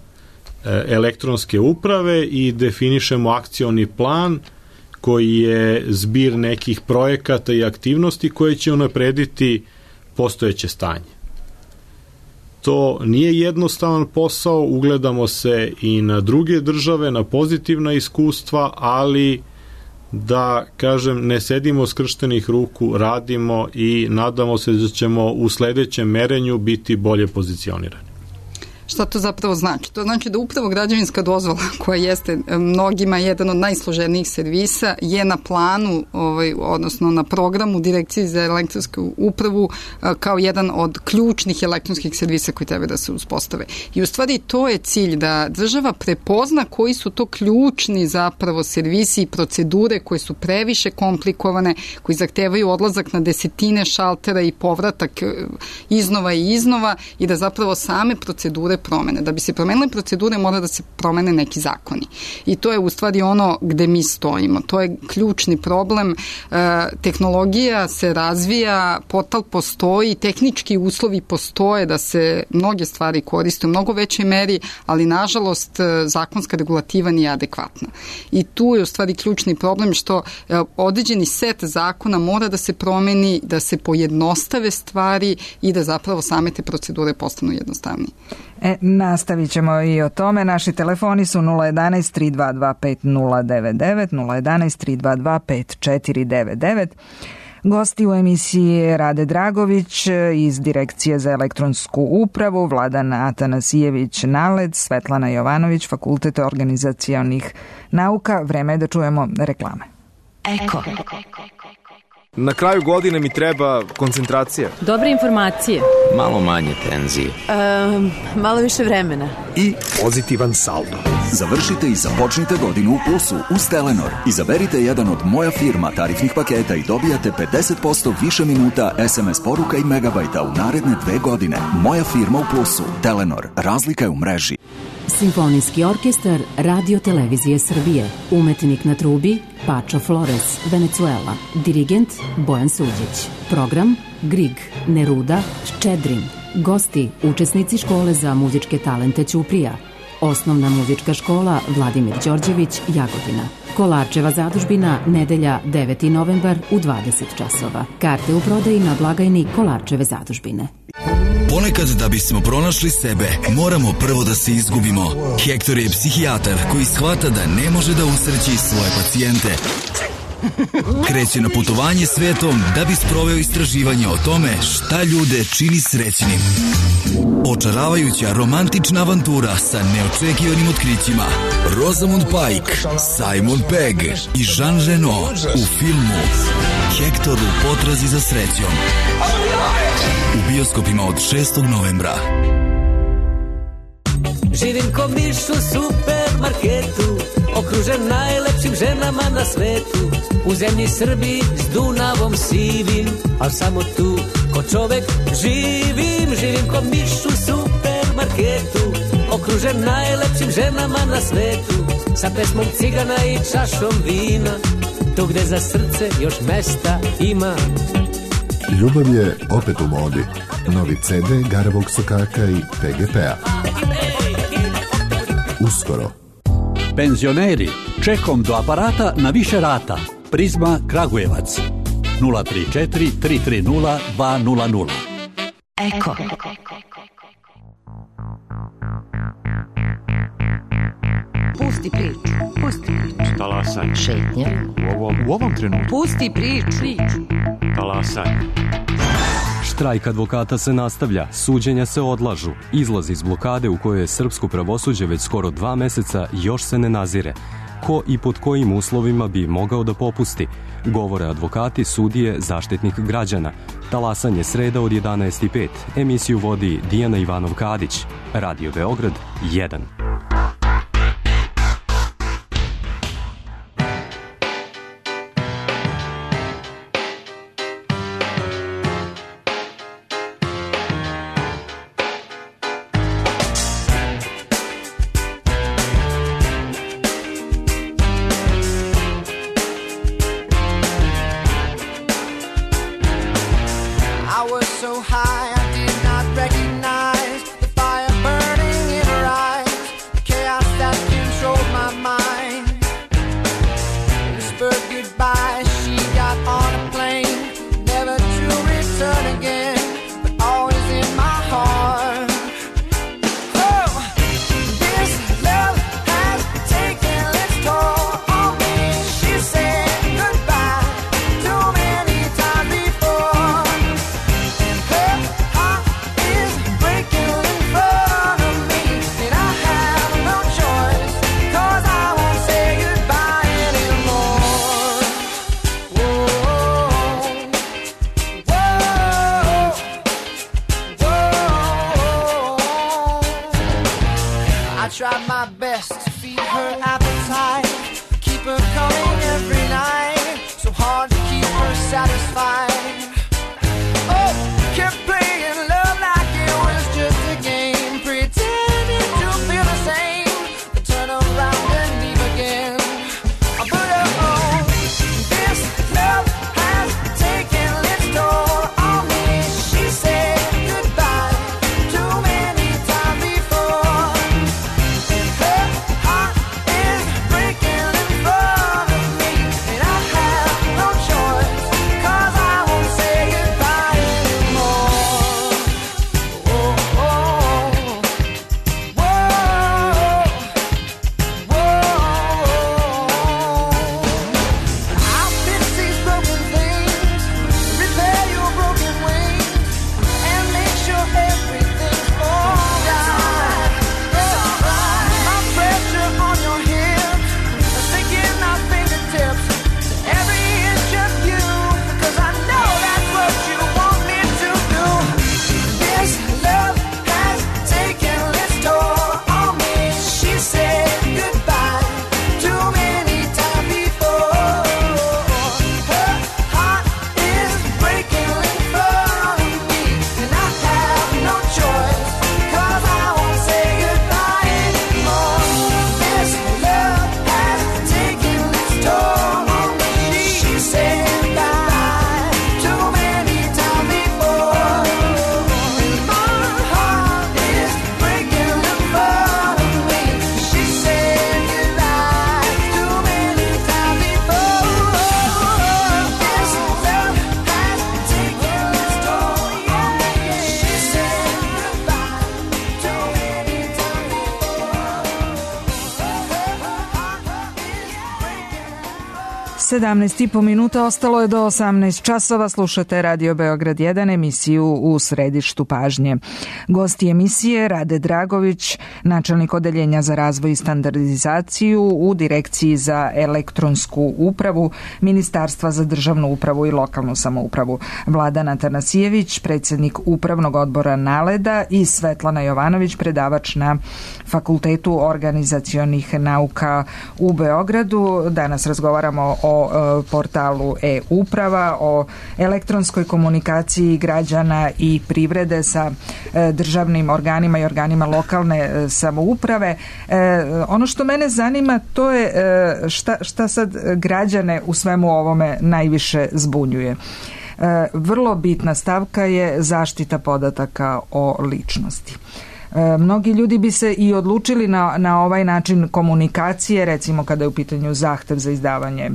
Speaker 2: elektronske uprave i definišemo akcioni plan koji je zbir nekih projekata i aktivnosti koje će unaprediti postojeće stanje. To nije jednostavan posao, ugledamo se i na druge države, na pozitivna iskustva, ali da, kažem, ne sedimo skrštenih ruku, radimo i nadamo se da ćemo u sledećem merenju biti bolje pozicionirani.
Speaker 3: Šta to zapravo znači? To znači da upravo građevinska dozvola, koja jeste mnogima jedan od najsloženijih servisa, je na planu, odnosno na programu Direkcije za elektronsku upravu kao jedan od ključnih elektronskih servisa koji treba da se uspostave. I u stvari to je cilj, da država prepozna koji su to ključni zapravo servisi i procedure koje su previše komplikovane, koji zahtevaju odlazak na desetine šaltera i povratak iznova i iznova, i da zapravo same procedure promene. Da bi se promenile procedure, mora da se promene neki zakoni. I to je u stvari ono gde mi stojimo. To je ključni problem. Tehnologija se razvija, portal postoji, tehnički uslovi postoje da se mnoge stvari koriste u mnogo većoj meri, ali nažalost zakonska regulativa nije adekvatna. I tu je u stvari ključni problem što određeni set zakona mora da se promeni, da se pojednostave stvari i da zapravo same te procedure postanu jednostavnije.
Speaker 1: Nastavit ćemo i o tome. Naši telefoni su 011 322 5099, 011 322 5499. Gosti u emisiji Rade Dragović iz Direkcije za elektronsku upravu, Vladan Atanasijević Naled, Svetlana Jovanović, Fakultet organizacionih nauka. Vreme je da čujemo reklame.
Speaker 7: Eko. Na kraju godine mi treba koncentracija.
Speaker 8: Dobre informacije.
Speaker 9: Malo manje tenzije.
Speaker 8: Malo više vremena.
Speaker 10: I pozitivan saldo. Završite i započnite godinu u plusu uz Telenor. Izaberite jedan od Moja firma tarifnih paketa i dobijate 50% više minuta, SMS poruka i megabajta u naredne 2 godine. Moja firma u plusu. Telenor. Razlika je u mreži.
Speaker 11: Simfonijski orkestar Radio Televizije Srbije. Umetnik na trubi Pačo Flores, Venezuela. Dirigent Bojan Suđić. Program Grig, Neruda, Ščedrin. Gosti, učesnici škole za muzičke talente Ćuprija. Osnovna muzička škola Vladimir Đorđević, Jagodina. Kolarčeva zadužbina, nedelja 9. novembar u 20 časova. Karte u prodaji na blagajni Kolarčeve zadužbine.
Speaker 12: Ponekad da bismo pronašli sebe, moramo prvo da se izgubimo. Hektor je psihijatar koji shvata da ne može da usreći svoje pacijente. Kreće na putovanje svetom da bi sproveo istraživanje o tome šta ljude čini srećnim. Očaravajuća romantična avantura sa neočekivanim otkrićima. Rosamund Pike, Simon Pegg i Jean Reno u filmu Hektor u potrazi za srećom. U bioskopima od 6. novembra.
Speaker 13: Živim ko miš u supermarketu, okružen najlepšim ženama na svetu. U zemlji Srbiji s Dunavom sivim, al samo tu ko čovek živim. Živim ko miš u supermarketu, okružen najlepšim ženama na svetu. Sa pesmom cigana i čašom vina, tu gde za srce još mesta ima.
Speaker 14: Ljubav je opet u modi. Novi CD Garavog sokaka i PGP-a. Uskoro.
Speaker 15: Penzioneri, čekom do aparata na više rata. Prizma Kragujevac. 034 330 200.
Speaker 7: Eko.
Speaker 16: Pusti priču. Pusti priču.
Speaker 9: Talasaj.
Speaker 16: Šetnja.
Speaker 9: U ovom trenutku.
Speaker 16: Pusti priču.
Speaker 9: Talasaj.
Speaker 17: Štrajk advokata se nastavlja, suđenja se odlažu, izlaz iz blokade u kojoj je srpsko pravosuđe već skoro 2 meseca još se ne nazire. Ko i pod kojim uslovima bi mogao da popusti? Govore advokati, sudije, zaštitnik građana. Talasanje sreda od 11:05. Emisiju vodi Dijana Ivanov-Kadić. Radio Beograd 1.
Speaker 18: So high I did not recognize the fire burning in her eyes. satisfied. Oh, kept playing love like it was just a game, pretending to feel the same, but turn around and leave again. But oh, this love has taken its toll on me. She said goodbye too many times before, and her heart is breaking in front of me, and I have no choice, 'cause I won't say goodbye anymore. Oh, oh, whoa, I'll fix these broken things, repair your broken wings, and make sure everything's alright. My pressure on your hips, sinking our fingertips, every inch of you, because I know that's what you want me to do. This love has taken its toll on me. She said goodbye too many times before. Her heart is breaking in front of me, and I have no choice, 'cause I won't say goodbye anymore. This love has taken its toll on me. She said goodbye too many times before, and my heart is breaking in front of me. She said goodbye too many times before. This love has taken its toll on me. She said goodbye too many times before.
Speaker 1: 17,5 minuta ostalo je do 18 časova. Slušate Radio Beograd 1, emisiju U središtu pažnje. Gosti emisije Rade Dragović, načelnik odeljenja za razvoj i standardizaciju u Direkciji za elektronsku upravu Ministarstva za državnu upravu i lokalnu samoupravu, Vladan Atanasijević, predsjednik Upravnog odbora NALED-a i Svetlana Jovanović, predavač na Fakultetu organizacionih nauka u Beogradu. Danas razgovaramo o portalu e-uprava, o elektronskoj komunikaciji građana i privrede sa državnim organima i organima lokalne samouprave. Ono što mene zanima, to je šta sad građane u svemu ovome najviše zbunjuje. Vrlo bitna stavka je zaštita podataka o ličnosti. Mnogi ljudi bi se i odlučili na ovaj način komunikacije, recimo kada je u pitanju zahtev za izdavanje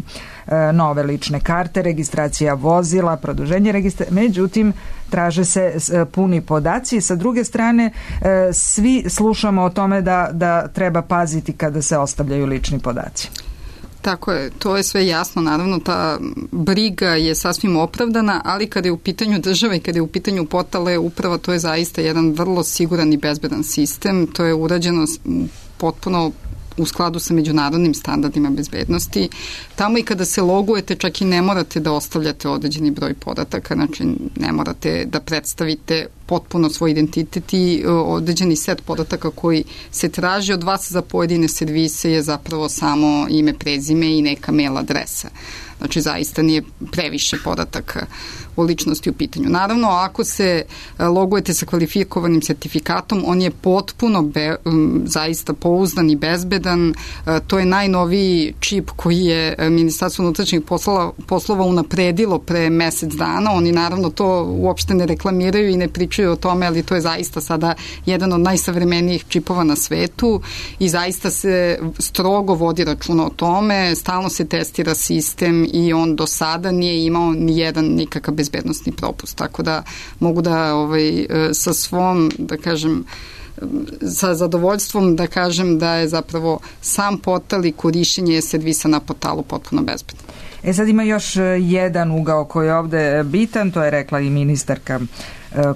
Speaker 1: nove lične karte, registracija vozila, produženje registracije, međutim traže se puni podaci. Sa druge strane, svi slušamo o tome da treba paziti kada se ostavljaju lični podaci.
Speaker 3: Tako je, to je sve jasno, naravno ta briga je sasvim opravdana, ali kada je u pitanju država i kada je u pitanju portal e-uprava, to je zaista jedan vrlo siguran i bezbedan sistem, to je urađeno potpuno u skladu sa međunarodnim standardima bezbednosti. Tamo i kada se logujete, čak i ne morate da ostavljate određeni broj podataka, znači ne morate da predstavite potpuno svoj identitet i određeni set podataka koji se traži od vas za pojedine servise je zapravo samo ime, prezime i neka mail adresa. Znači zaista nije previše podataka o ličnosti u pitanju. Naravno, ako se logujete sa kvalifikovanim sertifikatom, on je potpuno zaista pouzdan i bezbedan. To je najnoviji čip koji je Ministarstvo unutrašnjih poslova unapredilo pre mesec dana. Oni naravno to uopšte ne reklamiraju i ne pričaju o tome, ali to je zaista sada jedan od najsavremenijih čipova na svetu i zaista se strogo vodi računa o tome, stalno se testira sistem i on do sada nije imao ni jedan nikakav bezbednostni propust, tako da mogu da sa svom, da kažem, sa zadovoljstvom da kažem da je zapravo sam portal i korišćenje servisa na portalu potpuno bezbedno.
Speaker 1: Sad ima još jedan ugao koji je ovde bitan, to je rekla i ministarka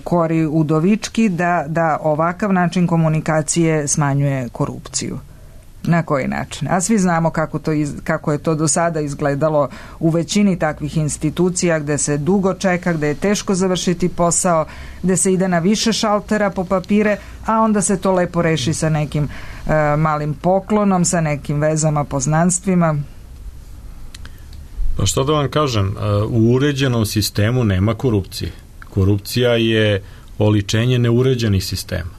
Speaker 1: Kori Udovički, da ovakav način komunikacije smanjuje korupciju. Na koji način? A svi znamo kako je to do sada izgledalo u većini takvih institucija gde se dugo čeka, gde je teško završiti posao, gde se ide na više šaltera po papire, a onda se to lepo reši sa nekim malim poklonom, sa nekim vezama, poznanstvima.
Speaker 2: Pa što da vam kažem, u uređenom sistemu nema korupcije. Korupcija je oličenje neuređenih sistema.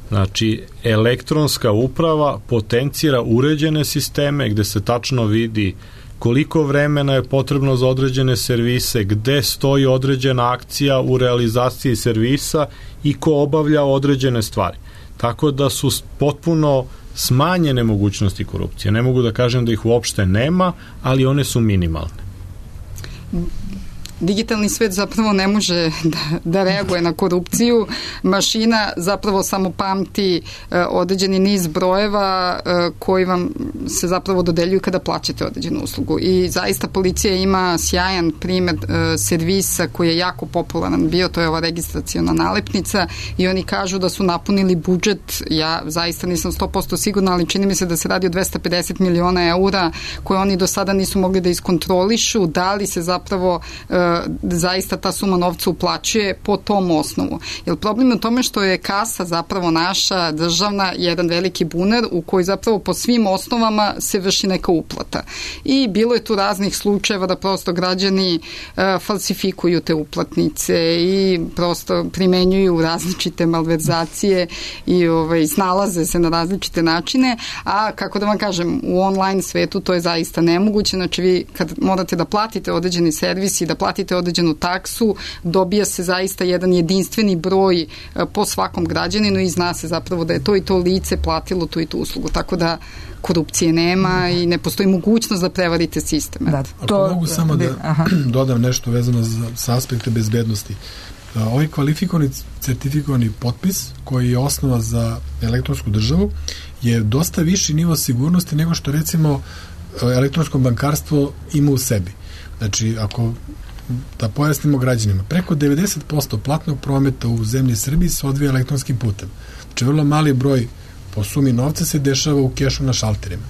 Speaker 2: Znači, elektronska uprava potencira uređene sisteme gde se tačno vidi koliko vremena je potrebno za određene servise, gde stoji određena akcija u realizaciji servisa i ko obavlja određene stvari. Tako da su potpuno smanjene mogućnosti korupcije. Ne mogu da kažem da ih uopšte nema, ali one su minimalne.
Speaker 3: Digitalni svet zapravo ne može da reaguje na korupciju. Mašina zapravo samo pamti određeni niz brojeva koji vam se zapravo dodeljuju kada plaćate određenu uslugu. I zaista policija ima sjajan primer servisa koji je jako popularan bio, to je ova registraciona nalepnica i oni kažu da su napunili budžet, ja zaista nisam 100% sigurna, ali čini mi se da se radi o 250 miliona eura koje oni do sada nisu mogli da iskontrolišu, da li se zapravo zaista ta suma novca uplaćuje po tom osnovu. Jer problem je u tome što je kasa zapravo naša državna jedan veliki bunar u koji zapravo po svim osnovama se vrši neka uplata. I bilo je tu raznih slučajeva da prosto građani falsifikuju te uplatnice i prosto primenjuju različite malverzacije i snalaze se na različite načine, a kako da vam kažem, u online svetu to je zaista nemoguće. Znači vi kad morate da platite određeni servis i da platite određenu taksu, dobija se zaista jedan jedinstveni broj po svakom građaninu i zna se zapravo da je to i to lice platilo tu i tu uslugu. Tako da korupcije nema i ne postoji mogućnost da prevarite sistem.
Speaker 4: Da, ako mogu samo da dodam nešto vezano sa aspekte bezbednosti. Ovaj kvalifikovani certifikovani potpis koji je osnova za elektronsku državu je dosta viši nivo sigurnosti nego što recimo elektronsko bankarstvo ima u sebi. Znači, ako da pojasnimo građanima, preko 90% platnog prometa u zemlji Srbiji se odvija elektronskim putem. Znači, vrlo mali broj po sumi novca se dešava u kešu na šalterima.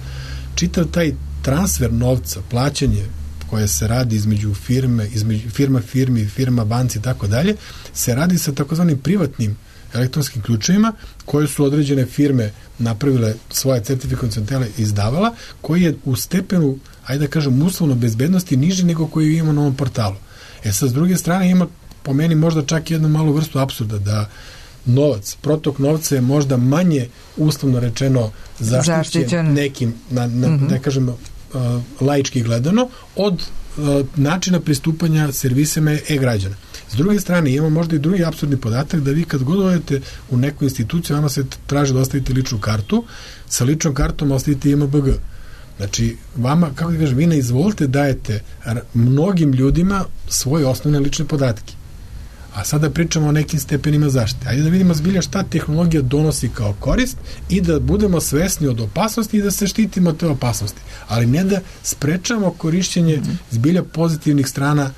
Speaker 4: Čitav taj transfer novca, plaćanje koje se radi između firmi, firma banci i tako dalje, se radi sa takozvanim privatnim elektronskim ključevima koje su određene firme napravile svoje certifikovane centrale i izdavala, koji je u stepenu, ajde da kažem, uslovno bezbednosti niži nego koji imamo na ovom portalu. Sad, s druge strane, ima po meni možda čak jednu malu vrstu apsurda da novac, protok novca je možda manje uslovno rečeno zaštićen nekim, da kažem, laički gledano, od načina pristupanja servisima e-građana. S druge strane, imamo možda i drugi apsurdni podatak da vi kad god odete u neku instituciju, vama se traži da ostavite ličnu kartu, sa ličnom kartom ostavite IMBG. Znači, vama, kako da kažem, vi ne izvolite dajete mnogim ljudima svoje osnovne lične podatke. A sada pričamo o nekim stepenima zaštite. Ajde da vidimo zbilja šta tehnologija donosi kao korist i da budemo svesni od opasnosti i da se štitimo od te opasnosti. Ali ne da sprečamo korišćenje zbilja pozitivnih strana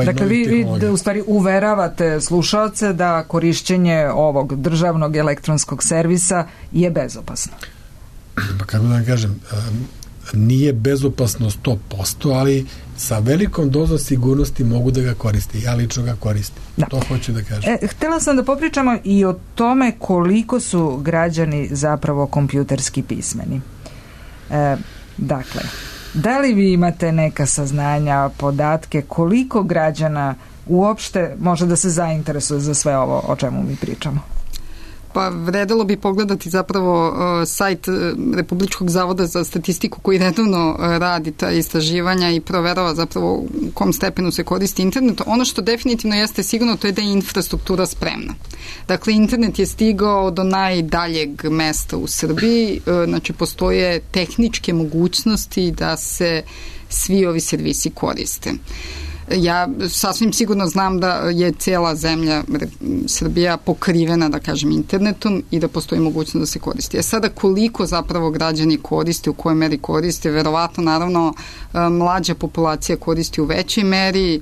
Speaker 1: dakle, vi u stvari uveravate slušaoce da korišćenje ovog državnog elektronskog servisa je bezopasno.
Speaker 4: Pa kako da vam kažem, nije bezopasno 100%, ali sa velikom dozom sigurnosti mogu da ga koriste. Ja lično ga koristim. Da. To hoću da kažem.
Speaker 1: Htjela sam da popričamo i o tome koliko su građani zapravo kompjuterski pismeni. Dakle, da li vi imate neka saznanja, podatke, koliko građana uopšte može da se zainteresuje za sve ovo o čemu mi pričamo?
Speaker 3: Pa vredelo bi pogledati zapravo sajt Republičkog zavoda za statistiku koji redovno radi ta istraživanja i proverava zapravo u kom stepenu se koristi internet. Ono što definitivno jeste sigurno to je da je infrastruktura spremna. Dakle, internet je stigao do najdaljeg mesta u Srbiji, znači postoje tehničke mogućnosti da se svi ovi servisi koriste. Ja sasvim sigurno znam da je cijela zemlja Srbija pokrivena, da kažem, internetom i da postoji mogućnost da se koristi. Sada koliko zapravo građani koriste, u kojoj meri koriste, verovatno naravno mlađa populacija koristi u većoj meri.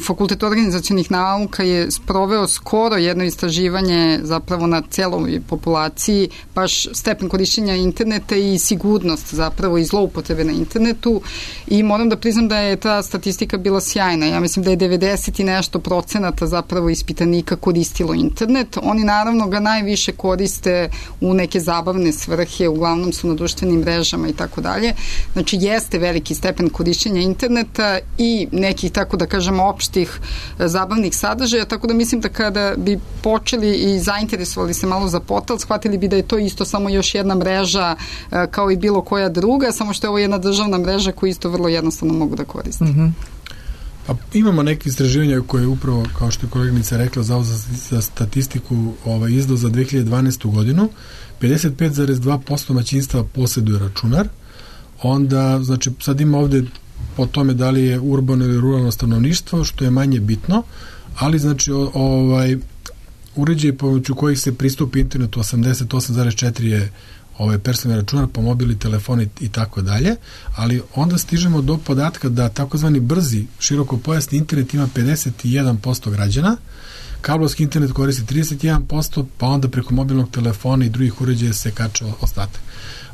Speaker 3: Fakultet organizacionih nauka je sproveo skoro jedno istraživanje zapravo na celoj populaciji, baš stepen korišćenja interneta i sigurnost zapravo i zloupotrebe na internetu i moram da priznam da je ta statistika bila sjajna. Ja mislim da je 90 i nešto procenata zapravo ispitanika koristilo internet. Oni naravno ga najviše koriste u neke zabavne svrhe, uglavnom su na društvenim mrežama i tako dalje. Znači jeste veliki stepen korišćenja interneta i nekih, tako da kažemo, opštih zabavnih sadržaja, tako da mislim da kada bi počeli i zainteresovali se malo za portal, shvatili bi da je to isto samo još jedna mreža kao i bilo koja druga, samo što je ovo jedna državna mreža koju isto vrlo jednostavno mogu da koriste.
Speaker 4: Pa imamo neke istraživanja koje je upravo, kao što je koleginica rekla, Zavod za statistiku izdao za 2012. godinu. 55,2% domaćinstva posjeduje računar. Onda, znači, sad ima ovde po tome da li je urbano ili ruralno stanovništvo, što je manje bitno, ali znači uređaji pomoću kojih se pristupi internetu 88,4 je personalni računar, po mobili, telefoni i tako dalje, ali onda stižemo do podatka da takozvani brzi širokopojasni internet ima 51% građana, kablovski internet koristi 31%, pa onda preko mobilnog telefona i drugih uređaja se kača ostatak.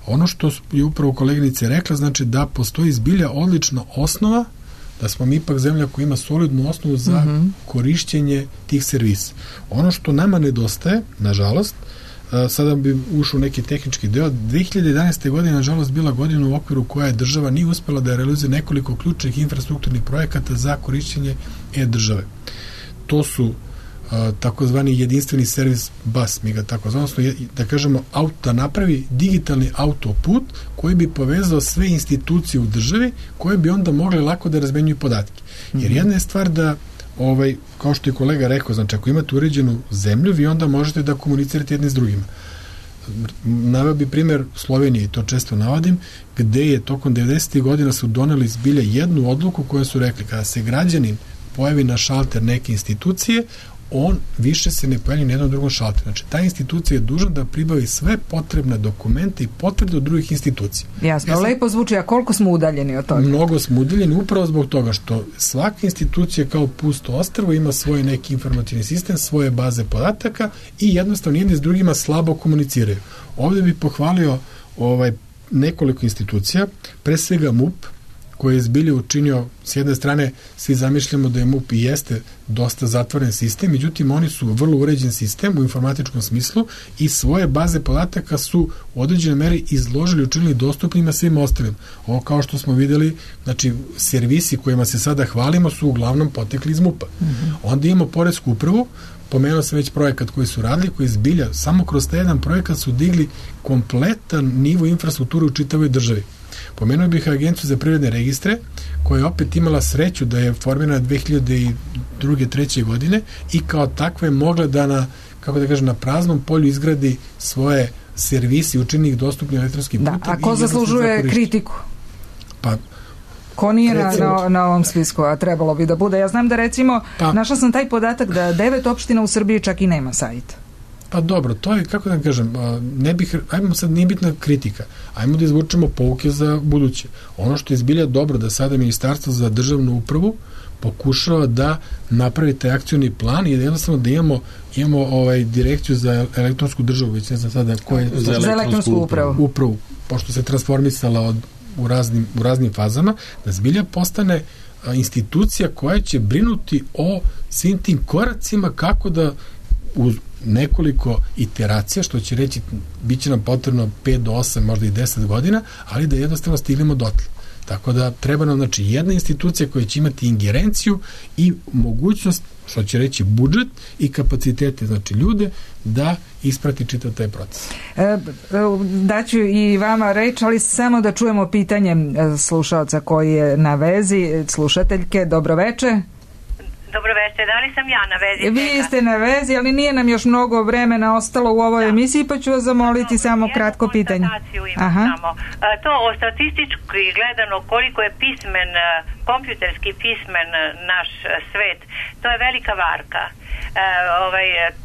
Speaker 4: Ono što je upravo koleginica rekla, znači da postoji zbilja odlična osnova, da smo mi ipak zemlja koja ima solidnu osnovu za korišćenje tih servisa. Ono što nama nedostaje, nažalost, sada bi ušao neki tehnički deo, 2011. godine nažalost bila godina u okviru koja je država nije uspela da realizuje nekoliko ključnih infrastrukturnih projekata za korišćenje e-države. To su takozvani jedinstveni servis bus, mi ga tako zvamo, da kažemo, da napravi digitalni autoput koji bi povezao sve institucije u državi koje bi onda mogle lako da razmenjuju podatke. Jer jedna je stvar da kao što je kolega rekao, znači ako imate uređenu zemlju, vi onda možete da komunicirate jedni s drugima. Naveo bi primjer Slovenije, i to često navodim, gde je tokom 90. godina su doneli zbilja jednu odluku koju su rekli, kada se građanin pojavi na šalter neke institucije, on više se ne pojavlja na jednom drugom šalteru. Znači, ta institucija je dužna da pribavi sve potrebne dokumente i potvrde od drugih institucija.
Speaker 1: Jasno, lepo zvuči, a koliko smo udaljeni od toga?
Speaker 4: Mnogo smo udaljeni upravo zbog toga što svaka institucija kao pusto ostrvo ima svoj neki informativni sistem, svoje baze podataka i jednostavno jedni s drugima slabo komuniciraju. Ovdje bih pohvalio nekoliko institucija, pre svega MUP, koji je zbilje učinio, s jedne strane svi zamišljamo da je MUP i jeste dosta zatvoren sistem, međutim oni su vrlo uređen sistem u informatičkom smislu i svoje baze podataka su u određenoj meri izložili, učinili dostupnima svim ostalim. Ovo kao što smo videli, znači servisi kojima se sada hvalimo su uglavnom potekli iz MUP-a. Onda imamo poresku upravu, pomenuo sam već projekat koji su radili, koji zbilja, samo kroz taj jedan projekat su digli kompletan nivo infrastrukture u čitavoj državi. Pomenuo bih Agenciju za privredne registre, koja je opet imala sreću da je formirana 2002. 2003. godine i kao takva je mogla da na praznom polju izgradi svoje servisi, učini ih dostupni elektronskim putem.
Speaker 1: Da, a ko zaslužuje kritiku?
Speaker 4: Pa
Speaker 1: ko nije na ovom spisku, a trebalo bi da bude. Ja znam da recimo, našla sam taj podatak da 9 opština u Srbiji čak i nema sajta.
Speaker 4: Pa dobro, to je, kako da kažem, ajmo sad, nije bitna kritika, ajmo da izvučemo pouke za buduće. Ono što je zbilja dobro da sada Ministarstvo za državnu upravu pokušava da napravi taj akcioni plan i da jednostavno da imamo direkciju za elektronsku državu, već ne znam sada ko je
Speaker 1: za elektronsku
Speaker 4: upravu, pošto se transformisala u raznim fazama, da zbilja postane institucija koja će brinuti o svim tim koracima kako da uz nekoliko iteracija, što će reći bit će nam potrebno 5 do 8, možda i 10 godina, ali da jednostavno stignemo dotle. Tako da treba nam, znači, jedna institucija koja će imati ingerenciju i mogućnost, što će reći budžet i kapacitete, znači ljude, da isprati čitav taj proces.
Speaker 1: Daću i vama reč, ali samo da čujemo pitanje slušaoca koji je na vezi, slušateljke. Dobroveče.
Speaker 19: Dobroveče, da li sam ja na vezi?
Speaker 1: Vi ste na vezi, ali nije nam još mnogo vremena ostalo u ovoj emisiji, pa ću vas zamoliti samo kratko pitanje.
Speaker 19: Samo. To o statistički gledano koliko je pismen, kompjuterski pismen naš svet, to je velika varka.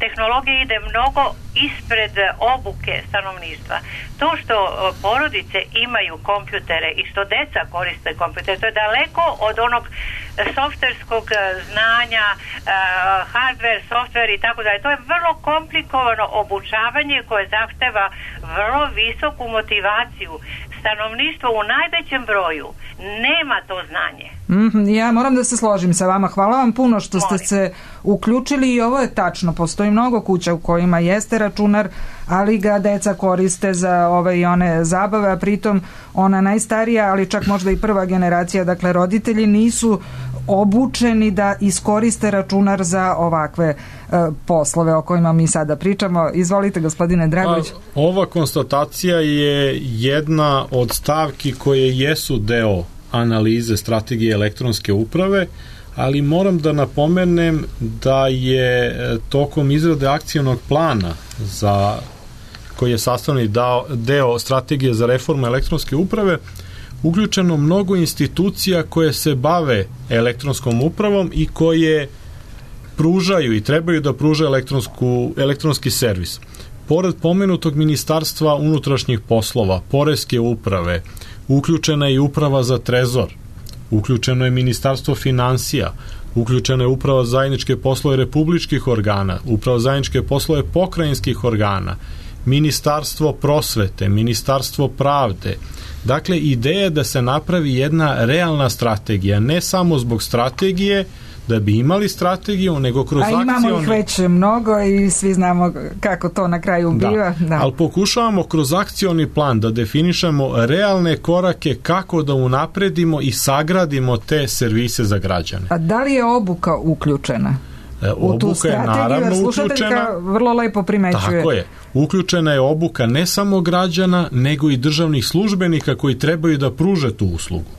Speaker 19: Tehnologija ide mnogo ispred obuke stanovništva. To što porodice imaju kompjutere i što deca koriste kompjutere, to je daleko od onog softverskog znanja, hardware, software i tako dalje. To je vrlo komplikovano obučavanje koje zahteva vrlo visoku motivaciju. stanovništvo u najvećem broju nema to znanje.
Speaker 1: Ja moram da se složim sa vama. Hvala vam puno što ste se uključili i ovo je tačno. Postoji mnogo kuća u kojima jeste računar, ali ga deca koriste za ove i one zabave, a pritom ona najstarija, ali čak možda i prva generacija, dakle roditelji nisu obučeni da iskoriste računar za ovakve poslove o kojima mi sada pričamo. Izvolite, gospodine Dragović.
Speaker 2: Ova konstatacija je jedna od stavki koje jesu deo analize strategije elektronske uprave, ali moram da napomenem da je tokom izrade akcionog plana koji je sastavni deo strategije za reformu elektronske uprave uključeno mnogo institucija koje se bave elektronskom upravom i koje pružaju i trebaju da pružaju elektronski servis. Pored pomenutog Ministarstva unutrašnjih poslova, Poreske uprave, uključena je i Uprava za trezor, uključeno je Ministarstvo finansija, uključena je Uprava za zajedničke poslove republičkih organa, Uprava za zajedničke poslove pokrajinskih organa, Ministarstvo prosvete, Ministarstvo pravde. Dakle, ideja je da se napravi jedna realna strategija, ne samo zbog strategije, da bi imali strategiju, nego kroz akcione...
Speaker 1: A imamo ih već mnogo i svi znamo kako to na kraju biva.
Speaker 2: Da. Ali pokušavamo kroz akcioni plan da definišemo realne korake kako da unapredimo i sagradimo te servise za građane.
Speaker 1: A da li je obuka uključena?
Speaker 2: Obuka je naravno uključena.
Speaker 1: Vrlo lepo primećuje.
Speaker 2: Tako je. Uključena je obuka ne samo građana, nego i državnih službenika koji trebaju da pruže tu uslugu.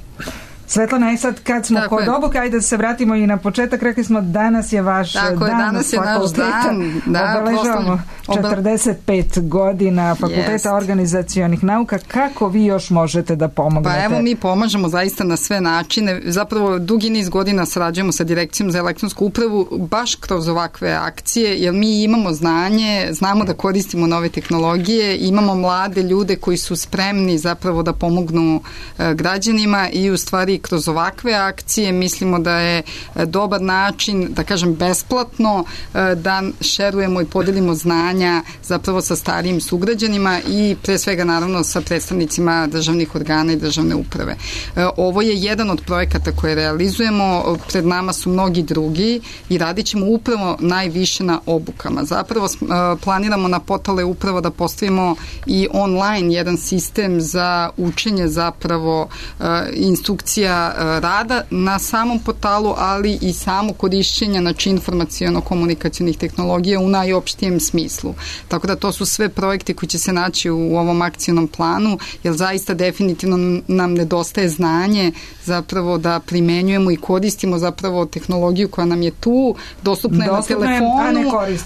Speaker 1: Svetlana, i sad kad smo kod obuke, ajde da se vratimo i na početak, rekli smo danas je vaš dan
Speaker 3: danas je naš dan.
Speaker 1: Obeležavamo 45 godina Fakulteta organizacionih nauka. Kako vi još možete da pomognete?
Speaker 3: Pa evo, mi pomažemo zaista na sve načine. Zapravo dugi niz godina sarađujemo sa Direkcijom za elektronsku upravu baš kroz ovakve akcije, jer mi imamo znanje, znamo da koristimo nove tehnologije, imamo mlade ljude koji su spremni zapravo da pomognu građanima i u stvari kroz ovakve akcije mislimo da je dobar način, da kažem besplatno, da šerujemo i podelimo znanja zapravo sa starijim sugrađanima i pre svega naravno sa predstavnicima državnih organa i državne uprave. Ovo je jedan od projekata koje realizujemo, pred nama su mnogi drugi i radit ćemo upravo najviše na obukama. Zapravo planiramo na portale upravo da postavimo i online jedan sistem za učenje zapravo instrukcija rada na samom portalu, ali i samo korišćenja informaciono-komunikacionih tehnologija u najopštijem smislu. Tako da to su sve projekte koji će se naći u ovom akcionom planu, jer zaista definitivno nam nedostaje znanje zapravo da primenjujemo i koristimo zapravo tehnologiju koja nam je tu, dostupna je na telefonu,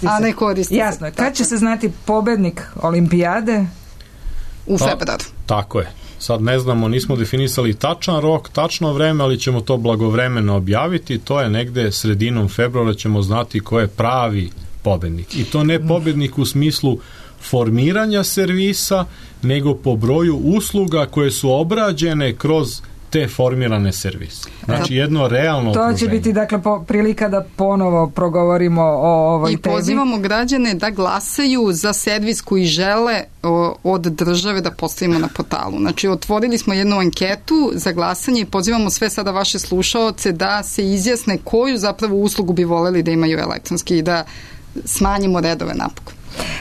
Speaker 3: a ne koristi se.
Speaker 1: Jasno je. Kad će se znati pobednik olimpijade?
Speaker 3: U februaru.
Speaker 2: Tako je. Sad ne znamo, nismo definisali tačan rok, tačno vreme, ali ćemo to blagovremeno objaviti. To je negde sredinom februara ćemo znati ko je pravi pobednik. I to ne pobednik u smislu formiranja servisa, nego po broju usluga koje su obrađene kroz te formirane servise. Znači jedno realno okruženje.
Speaker 1: To će biti dakle prilika da ponovo progovorimo o ovoj temi.
Speaker 3: I pozivamo građane da glasaju za servis koji žele od države da postavimo na portalu. Znači otvorili smo jednu anketu za glasanje i pozivamo sve sada vaše slušaoce da se izjasne koju zapravo uslugu bi voleli da imaju elektronski i da smanjimo redove napokon.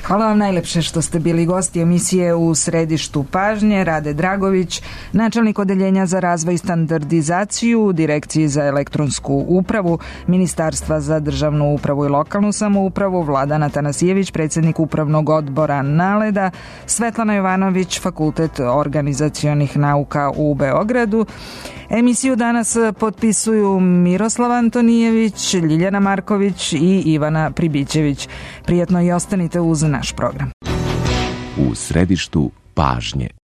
Speaker 1: Hvala vam najlepše što ste bili gosti emisije U središtu pažnje. Rade Dragović, načelnik odeljenja za razvoj i standardizaciju u Direkciji za elektronsku upravu Ministarstva za državnu upravu i lokalnu samoupravu, Vladan Atanasijević, predsjednik upravnog odbora NALED-a, Svetlana Jovanović, Fakultet organizacionih nauka u Beogradu. Emisiju danas potpisuju Miroslav Antonijević, Ljiljana Marković i Ivana Pribićević. Prijetno i ostanite uz naš program.
Speaker 9: U središtu pažnje.